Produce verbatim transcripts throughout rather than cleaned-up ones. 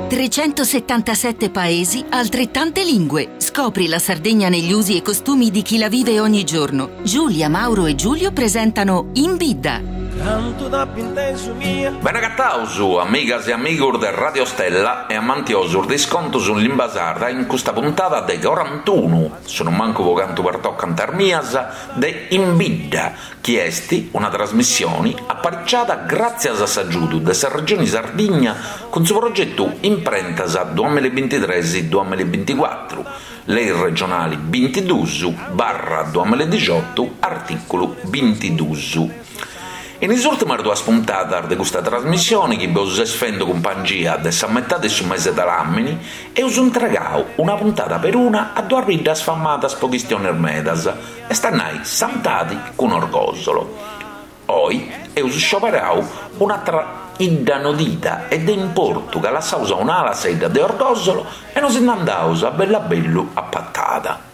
Trecentosettantasette paesi, altrettante lingue. Scopri la Sardegna negli usi e costumi di chi la vive ogni giorno. Giulia, Mauro e Giulio presentano In Bidda. Bene agataus, amigas e amigus de Radio Stella e amantiosus de is contus in limba sarda in custa puntada de corantunu, sonumancu po cantu pertocant is mias, de In Bidda, chi est una trasmissioni apariciada gràtzias a s'agiudu de sa Regioni Sardigna cun su progetu Imprentas duamilla e bintitres duamilla e binticuatru, lei regionali bintiduus barra duamilla e dixiotu artìculu bintiduus. In is ùrtimas duas puntadas de custa trasmissioni chi bos est fendu cumpangia de sa metade de su mese de làmini, eus intregau una puntada peruna a duas biddas famadas po chistionis medas, est a nai Santadi cun Orgòsolo. Oi eus scioberau un'atra 'idda nodida e de importu ca lassaus a un'ala sa 'idda de Orgòsolo e nos nd'andaus a bellu a bellu a Patada.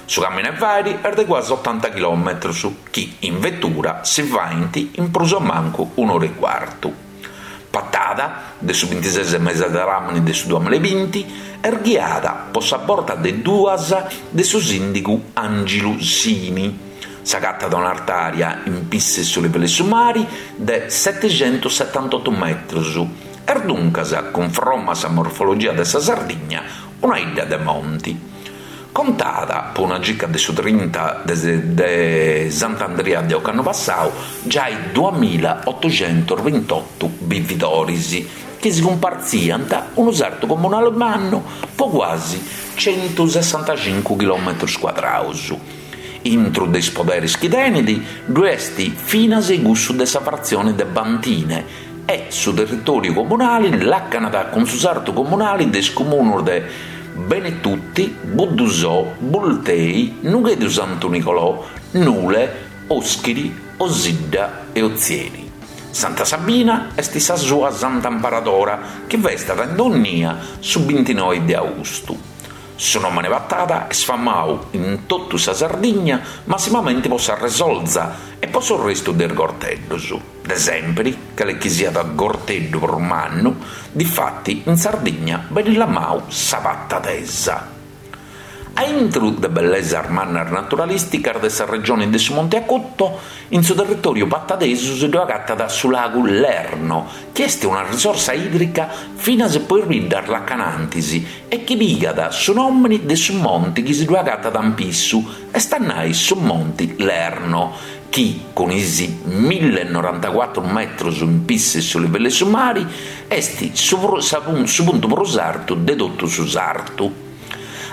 Su caminu 'e fàiri est de cuasi otanta chilòmetrus, chi in vetura si faint in prus o mancu un'ora e cuartu. Patada, de su bintises mese de làmini de su duamilla e binti, est ghiada po sa borta de duas de su sìndigu Angilu Sini. S'agatat a un'artària in pissu 'e su livellu 'e su mari de setixentus-setantotu metrus. Est duncas, cunfromma a sa morfologia de sa Sardigna, una 'idda de monti. Contat, po una circa de su trinta de Sant'Andria de ocannu passau, giai duamilla otuxentus bintotu bividoris chi si cumpartziant unu sartu comunali mannu po cuasi centusessantacincu chilòmetrus cuadraus. Intru de is poderis chi tenit ddu est finas cussu de sa fratzioni de Bantine e su territòriu comunali làcanat cun su sartu comunali de is comunus de Benetutti, Buddusò, Bultei, Nughedu Santu Nicolò, Nule, Òschiri, Osidda e Otzieri. Santa Sabina est sa sua santa amparadora chi festat in dònnia su bintinoi de austu. Su nòmene Patada est famau in totu sa Sardigna massimamenti po sa resolza e po s'orrestu de is gorteddus. De sèmpiri, cale chi siat gorteddu prus mannu, difati in Sardigna benit lamau sa patadesa. A intru de bellesas mannas naturalìsticas de sa regioni de su Monte Acuto, in su territòriu patadesu si ddu agatat su lagu Lerno, chi est una risorsa ìdrica finas po is biddas lacanantis e chi pigat su nòmini de su monti chi si ddu agatat in pissu, est a nai su Monti Lerno, chi cun is mille e norantacuatru metrus in pissu 'e su livellu 'e su mari est su su puntu prus artu de totu su sartu.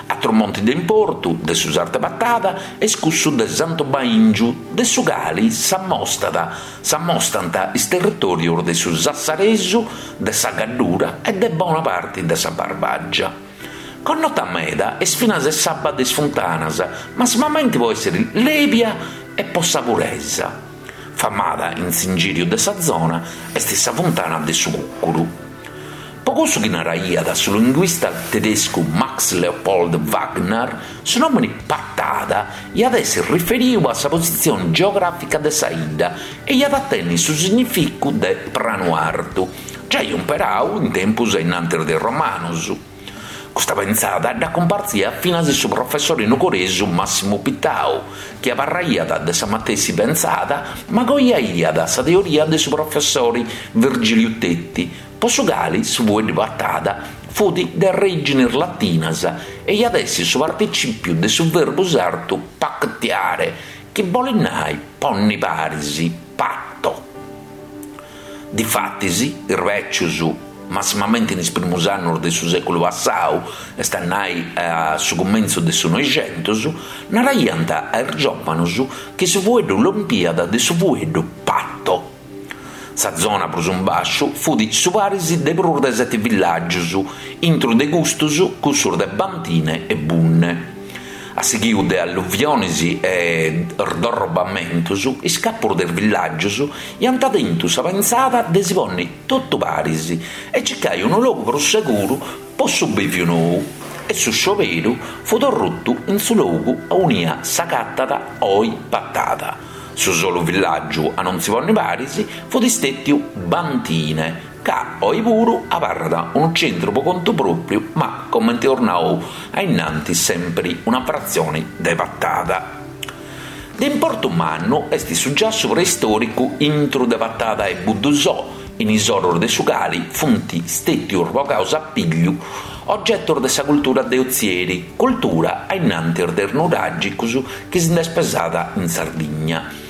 Atru monti de importu de su sartu 'e Patada est cussu de Santu Baingiu, de su cali s'ammostat s'ammostant is territòrius de su Sassaresu, de sa Gaddura e de bona parti de sa Barbàgia. Connota meda est finas s'abba de is funtanas, massimamenti po èssiri lèbia e po sa puresa. Famada in s'ingìriu de sa zona est sa funtana de su Cùcuru. Po cussu chi naraiat su linguista tedescu Max Leopold Wagner, su nòmini Patada iat essi riferiu a sa positzioni geogràfica de sa 'idda e iat a tenni su significu de pranu artu, giai umperau in tempus a innantis de is romanus. Custa pentzada dda cumpartziat finas su professori nugoresu Massimu Pittau, chi abarraiat de sa matessi pentzada ma coiaiat sa teoria de su professori Virgiliu Tetti, po su cali su fueddu Patada fut de arrèginis latinas e iat essi su particìpiu de su verbu sardu pactiare, chi bolit nai ponni paris, patto. Difatis, is bècius, massimamenti in is primus annus de su sèculu passau, est a nai a su cumentzu de su Noixentus, naraiant a is giòvanus chi su fueddu lompiat de su fueddu patto. Sa zona prus in bàsciu fut su paris de prus de seti villàgius, intru de custus cussus de Bantine e Bunne. A sighiu de alluvionis e sdorrobamentus, is capus de is villàgius iant tentu sa pentzada de si ponni totu paris e circai unu logu prus seguru po su bìviu nou, e su scioberu fut orrutu in su logu aunia s'agatat oi Patada. Su solu villàgiu a non si ponni paris fut istètiu Bantine, ca oi puru abarrat unu centru po contu pròpriu ma, comente eus nau a innantis, sempri una fratzioni de Patada. De importu mannu est su giassu preistòricu intru de Patada e Buddusò, in is oros de su cali funt stètius bogaus a pigliu ogetos de sa cultura de Ozieri, cultura a innantis de is nuràgicos chi si nd'est pesada in Sardigna.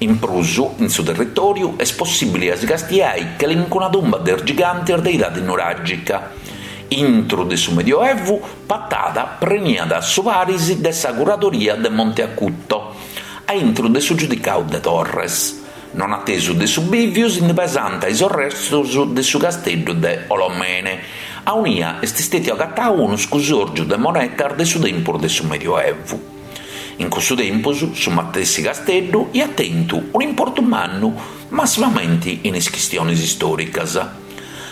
In prus, in su territòriu est possìbile a si castiai calincuna tumba de is gigantes de idade nuràgica. Intro de su Medioevu, Patada preniat su paris de sa curadoria de Monte Acuto, a intro de su giudicadu de Torres. Non atesu de su bìviu si nde pesant is restos de su casteddu de Olomene, aunia est istètiu agatadu unu scusòrgiu de monetas de su tempus de su Medioevu. In cussu tempus su matessi casteddu iat tentu un'importu mannu, massimamenti in is chistiones istòricas.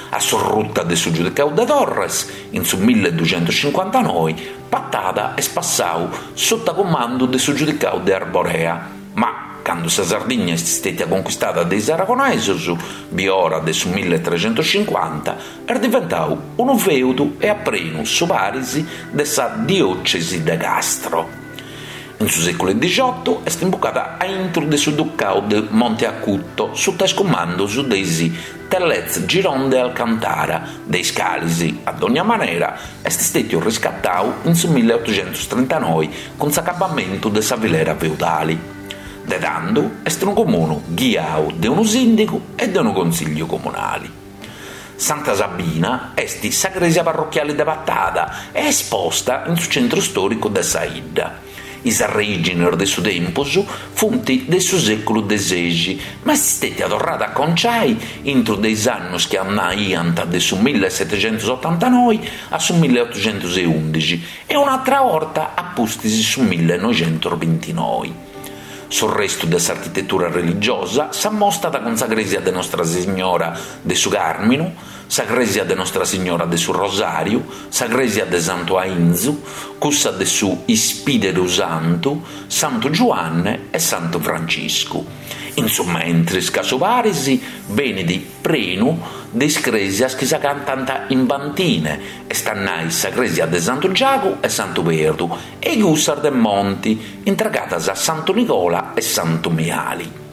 A s'orruta de su giudicadu de Torres, in su milleduxentuscincuantanoe, Patada est passadu suta cumandu de su giudicadu de Arborea, ma cando sa Sardigna est istètia conquistada de is aragonesos, biora de su milletrecentuscincuanta, est diventadu unu fèudu e at prenu su paris de sa diòcesi de Castro. In su sèculu dixiotu est imbucada a intro de su ducadu de Monte Acuto suta is cumandos de is Tellez Giron de Alcantara, de is cales, a dogna manera, est istètiu riscatadu in su milleotuxentustrintanoe cun s'acabamentu de sa filera feudale. De tando est unu comunu ghiadu de unu sìndigu e de unu consìgliu comunale. Santa Sabina est sa crèsia parrochiale de Patada e est posta in su centru istòricu de sa 'idda. Is arrèigines de su tempus funt de su sèculu de sexi, ma est istètia torrada a conciai intro de is annos chi andaiant de su millesetexentusotantanoe a su milleotuxentus e undixi e un'atra 'orta a pustis su millenoixentusbintinoe. Su restu de s'architetura religiosa s'ammostat cun sa crèsia de Nostra Signora de su Càrminu, sa crèsia de Nostra Signora de su Rosàriu, sa crèsia de Santu Ainzu, cussa de su Ispìderu Santu, Santu Giuanne e Santu Franciscu. In su mentris ca su paris benit prenu de is crèsias chi s'agatant in Bantine, est a nai sa crèsia de Santu Giagu e Santu Perdu e cussas de Monti, intregadas a Santu Nigola e Santu Miali.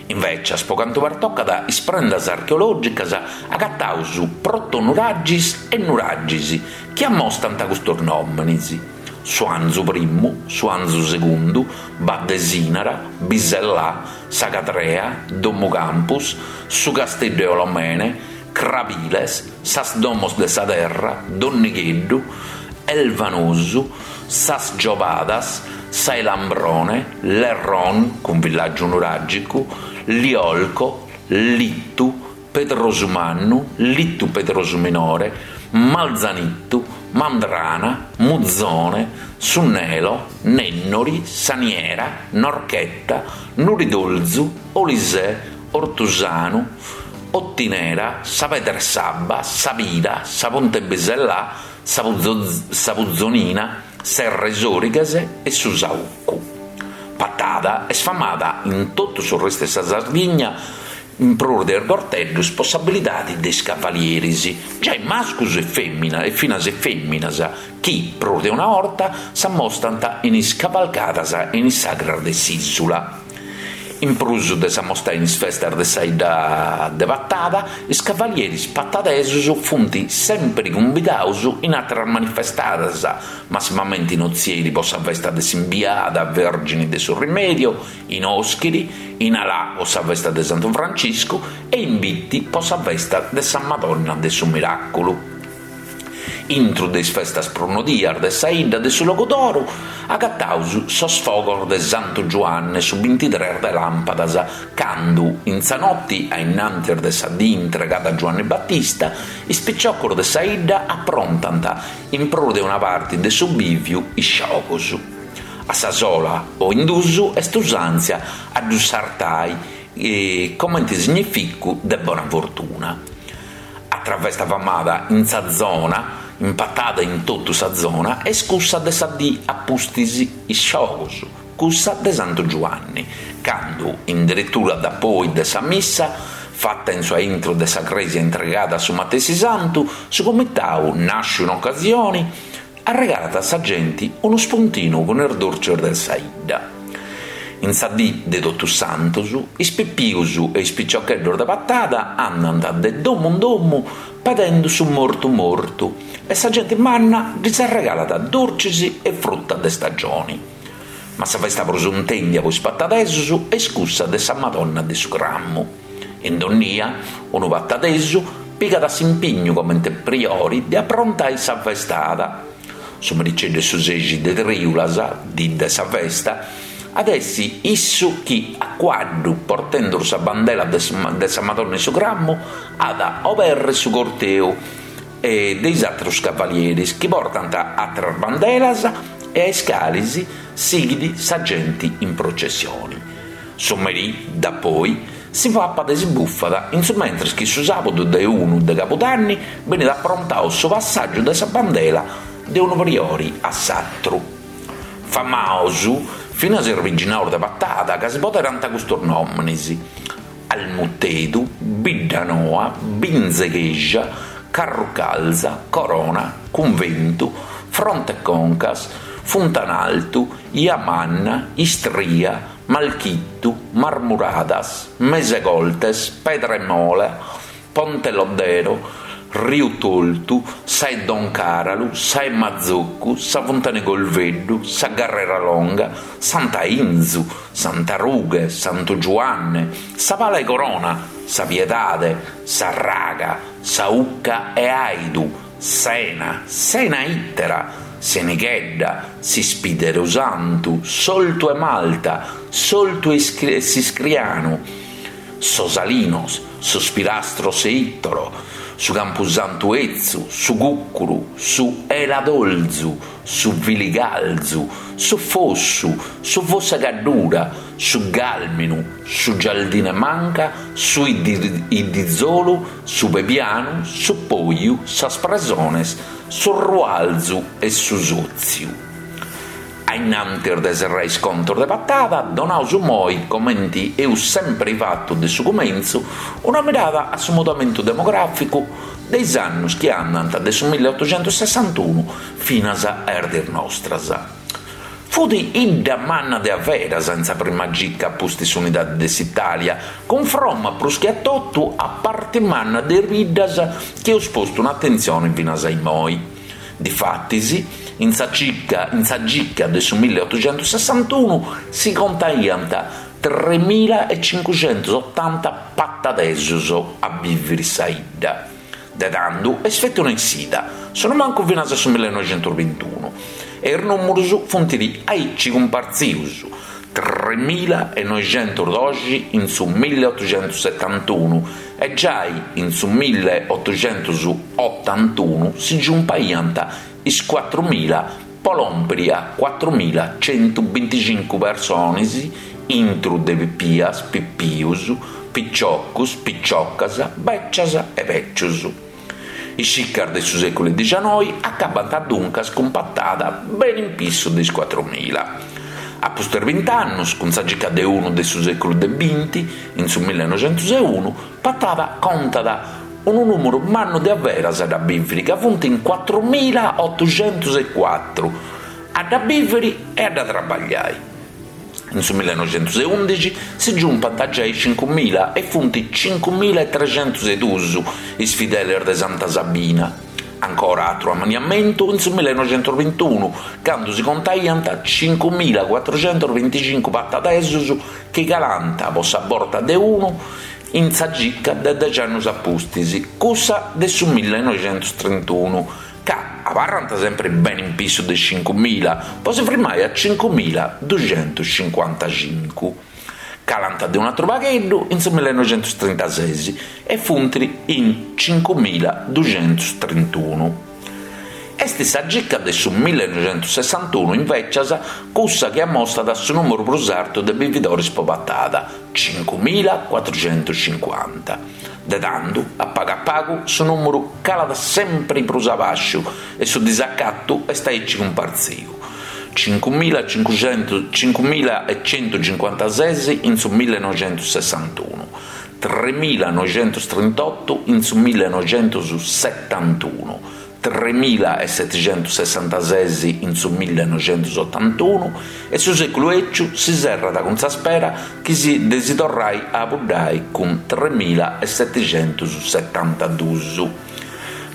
Invecias, po cantu pertocat is prendas archeològicas, agataus protonuragis e nuragis chi ammostant custos nòmenes: Suanzu primu, Suanzu segundu, Baddesinara, Bisellà, Sa Cadrea, Domu Campus, Su Casteddu 'e Olomene, Crabiles, Sas Domos de sa Terra, Donnigheddu, Elvanosu, Sas Giobadas, Sa 'e Lambrone, Lerron, cun villàgiu nuràgicu, Liolco, Littu, Pedrosu Mannu, Littu Pedrosu Minore, Malzanittu, Mandrana, Muzone, Su Nelo, Nennori, Saniera, Norchetta, Nuridolzu, Olisè, Ortusanu, Ottinera, Sa Pedra 'e S'Abba, Sa Pira, Sa Punta 'e Bisellà, Sa Puzonina, Serra 'e Sòrighes e Su Saucu. Patada est famada in totu su restu de sa Sardigna, in prus de is gorteddos, po s'abilidade de is cavalieris, giai mascus e fèmina e finas e fèminas, chi, prus de una 'orta, s'ammostant in is cavalcadas e in is sagras de s'ìsula. In prus de s'ammostai in is festas de sa 'idda de Patada, is cavalieris patadesos funt sèmpiri cumbidados in àteras manifestadas, massimamente in Ozieri po sa festa de s'Imbiada Vèrgine de su Rimedio, in Òschiri, in Alà po sa festa de Santu Franciscu e in Bitti po sa festa de sa Madonna de su Miràculu. Intro de is festas prus nodias de sa 'idda de su Logudoro agataus sos fogos de Santu Giuanne su bintitres de làmpadas, cando, in sa notti a innantis de sa dì intregada a Giuanne Battista, is piciocos de sa 'idda aprontant, in prus de una parti de su bìviu, is giogos. A sa sola o in duus est usàntzia a ddus sartai comente significu de bona fortuna. Atra festa famada in sa zona, in Patada e in totu sa zona, est cussa de sa dì a pustis is giogos, cussa de Santu Giuanni, candu, in deretura dapoi de sa missa, Fatta in su aintru de sa crèsia intregada a su matessi santu, su comitau, nàsciu in ocasioni, arregalat a sa genti unu spuntinu cun is durcis de sa 'idda. In sa dì de Totus Santus, is pipius e is piciocheddos de Patada andant de domu in domu pedendu su mortu mortu e sa genti manna ddis arregalat durcis e fruta de stagioni. Ma sa festa prus intèndia po is patadesus est cussa de sa Madonna de su Cramu. In donnia, unu patadesu pigat s'impignu comente priori de aprontai sa festada. Su mericeddu 'e su sexi de trìulas, dì de sa festa, at essi issu chi, a cuaddu, portendu sa bandela de sa Madonna 'e su Cramu, at a oberri su corteu de is àterus cavalieris chi portant àteras bandelas e a is calis sighit sa genti in processioni. Su merì, dapoi, si papat e si bufat, in su mentris chi su sàbudu de unu de cabudanni benit aprontau su passàgiu de sa bandela de unu priori a s'atru. Famaus finas is biginaus de Patada ca si poderant custus nòminis, Almutedu, Biddanoa, Binz'e Cheja, Carrucalza, Corona, Cunventu, Front'e Concas, Funtanaltu, 'Ia Manna, Istria, Malchittu, Marmuradas, Mes'e Coltes, Pedra 'e Mola, Ponte Lodero, Riu Toltu, Sa 'e Don Càralu, Sa 'e Matzoccu, Sa Funtana 'e Golveddu, Sa Garrera Longa, Sant'Ainzu, Santa Rughe, Santu Giuanne, Sa Pala 'e Corona, Sa Piedade, Sa Raga, Sa 'Ucca 'e Aidu, S'Ena, S'Ena Ìtera, S'Enighedda, S'ispìderu Santu, S'Oltu 'e Malta, S'Oltu 'e s'Iscrianu, Sos Alinos, Sos Pirastros 'e Itoro, Su Campusantu 'Etzu, Su Cùcuru, Su 'Eladolzu, Su Filigalzu, Su Fossu, Su Fossu 'e Gaddura, Su Gàlminu, Su Gialdine Manca, Su 'Iddizolu, Su Pebianu, Su Poju, Sas Presones, Su Rualzu e Su Sòtziu. A innantis de serrai is contos de Patada, donaus immoi, comenti eus sempri fatu de su cumentzu, una mirada a su mudamentu demogràficu de is annus chi andant de su milliotoxentussessantunu finas a is diis nostras. Fut 'idda manna de averas in sa prima gica a pustis s'unidade de s'Itàlia, cunfromma prus che a totu a parti manna de is biddas chi eus postu in atentzione finas a immoi. Difatis, in sa cica in sa gica de su milliotoxentussessantunu si contaiant tremila e cincuxentusotanta patadesos a bìviri in sa 'idda. De tando est feti una essida, sonumancu finas a su millenoixentusbintunu, e is nùmerus funt aici cumpartzius, tremila e noixentusdoxi in su milliotoxentussetantunu e giai in su milliotoxentusotantunu si giumpaiant is cuatrumila po lòmpiri a cuatrumila centubinticincu persones intru de pipias, pipius, piciocus, piciocas, bècias e bècius. Is cicas de su sèculu dixianoi acabant duncas cun Patada beni in pissu de is cuatrumila. A pustis bint'annus, cun sa cica de unu de su sèculu de binti, in su millenoixentus e unu, Patada contat unu nùmeru mannu de averas a dda bìviri ca funt in cuatrumila otuxentus e cuatru a dda bìviri e a dda trabagliai. In su millenoixentus e undixi si giumpant giai is cincumila e funt cincumila e trexentus e dus is fideles de Santa Sabina. Ancora atru amanniamentu in su millenoixentus bintunu, candu si contaiant cincumila cuatruxentus binticincu patadesus chi calant po sa borta de unu in sa cica de dexi annus a pustis, cussa de su millenoixentus trintunu, ca abarrant sempri beni in pissu de cincumila, po si frimai a cincumila duxentus cincuantacincu. Calant de un'atru pagheddu in su millenoixentus trintases e funt in cincumila duxentus trintunu. Est sa cica de su millenoixentussessantunu, invècias, cussa chi ammostat su nùmeru prus artu de bividoris po Patada, cincumila cuatruxentuscincuanta. De tando, a pagu a pagu, su nùmeru calat sempri prus a bàsciu e su disacatu est aici cumpartziu, cincumila cincuxentus cincumila e centucincuantases in su millenoixentussessantunu, tremilanoixentustrintottu in su millinoixentussetantunu, tremilaesetixentussessantases in su millinoixentusottantunu e su sèculu 'eciu si serrat cun sa spera chi si de si torrai a apuddai cun tremilaesetixentussetantaduus.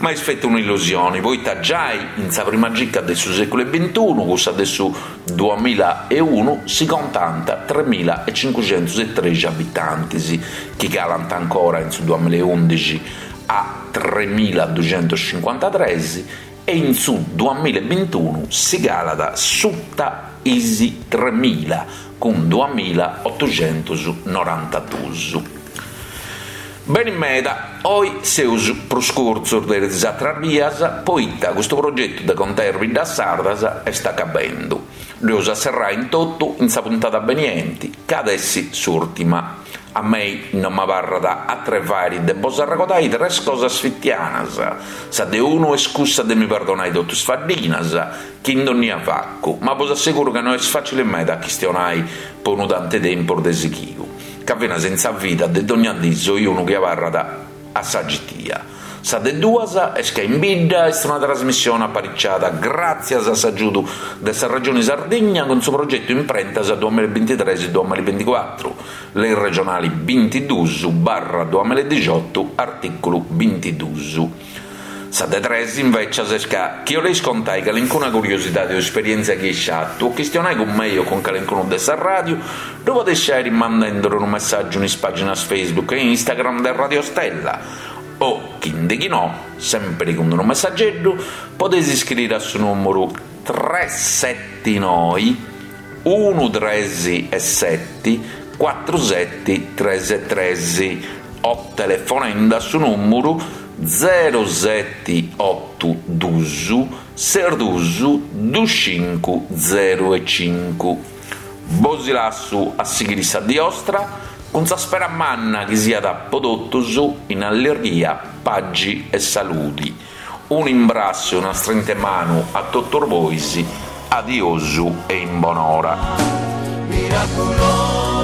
Ma est feti un'illusioni, poita giai in sa prima cica de su sèculu 'e bintunu, cussa de su duamilla e unu, si contànt tremila e cincuxentus e trexi abitantis, chi calant ancora in su duamilla e undixi a tremila duxentus cincuantatres e in su duamilla e bintunu si calat suta is tremila, cun duamila otuxentus norantaduus. Beni meda, oi seus prus curtzus de is atras bias, poita custu progetu de contai is biddas sardas est acabendu. Ddu eus a serrai in totu in sa puntada benienti, ca at essi s'ùrtima. A mei no m'abarrat atru 'e fàiri de bos arregodai tres cosas fitianas, sa de unu est cussa de mi perdonai totu is faddinas chi in dònnia facu, ma bos asseguru ca no est fàcili meda a chistionai po unu tanti 'e tempus de sighiu. Ca finas in sa vida de dogna dì soi unu chi abarrat a sa citia. Sa de duas est ca In Bidda est una trasmissione apariciada gràtzias a s'agiudu de sa Regioni Sardigna cun su progetu Imprentas duamilla e bintitres duamilla e binticuatru, lei regionali bintiduus barra duamilla e dixiotu artìculu bintiduus. Sa de tres, invècias, est ca chi 'oleis contai calincuna curiosidadi o esperièntzia chi eis fatu o chistionai cun mei o cun calincunu de sa ràdiu, ddu podeis fàiri mandenduru unu messàgiu in is pàginas Facebook e Instagram de Radio Stella o, chi nde chi no, sèmpiri cun unu messageddu, podeis iscriri a su nùmuru tres seti noi unu tres e seti cuatru seti tres e tres o telefonende a su nùmuru zero seti otu dus ses dus dus cincu zero e cincu. Bosi lassu a sighiri sa dì 'ostra cun sa spera manna chi siat po totus in allirghia, pagi e saludi. Un'imbrassu e una strinta 'e manu a totus bois, adiosu e in bonora. Miraculosa.